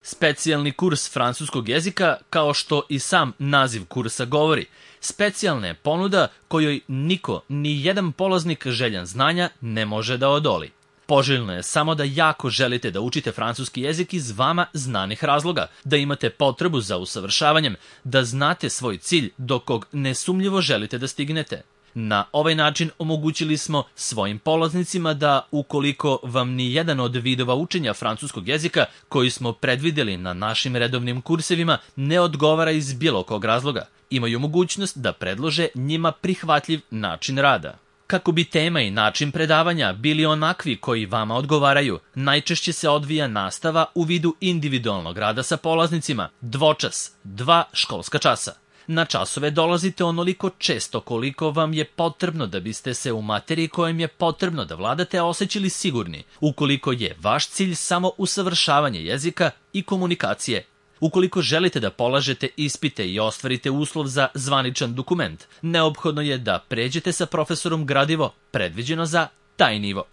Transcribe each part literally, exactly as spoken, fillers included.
Specijalni kurs francuskog jezika, kao što i sam naziv kursa govori, specijalna je ponuda kojoj niko, ni jedan polaznik željan znanja ne može da odoli. Poželjno je samo da jako želite da učite francuski jezik iz vama znanih razloga, da imate potrebu za usavršavanjem, da znate svoj cilj do kog nesumnjivo želite da stignete. Na ovaj način omogućili smo svojim polaznicima da, ukoliko vam ni jedan od vidova učenja francuskog jezika koji smo predvideli na našim redovnim kursevima ne odgovara iz bilo kog razloga, imaju mogućnost da predlože njima prihvatljiv način rada. Kako bi tema i način predavanja bili onakvi koji vama odgovaraju, najčešće se odvija nastava u vidu individualnog rada sa polaznicima, dvočas, dva školska časa. Na časove dolazite onoliko često koliko vam je potrebno da biste se u materiji kojem je potrebno da vladate osjećali sigurni, ukoliko je vaš cilj samo usavršavanje jezika i komunikacije. Ukoliko želite da polažete ispite i ostvarite uslov za zvaničan dokument, neophodno je da pređete sa profesorom gradivo predviđeno za taj nivo.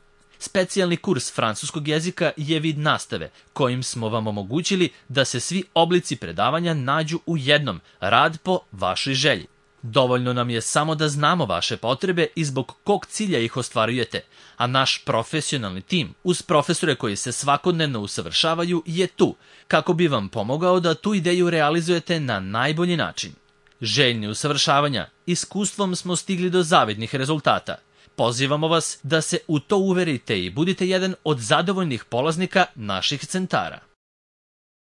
Specijalni kurs francuskog jezika je vid nastave kojim smo vam omogućili da se svi oblici predavanja nađu u jednom, rad po vašoj želji. Dovoljno nam je samo da znamo vaše potrebe i zbog kog cilja ih ostvarujete, a naš profesionalni tim uz profesore koji se svakodnevno usavršavaju je tu, kako bi vam pomogao da tu ideju realizujete na najbolji način. Željni usavršavanja, iskustvom smo stigli do zavidnih rezultata. Pozivamo vas da se u to uverite i budite jedan od zadovoljnih polaznika naših centara.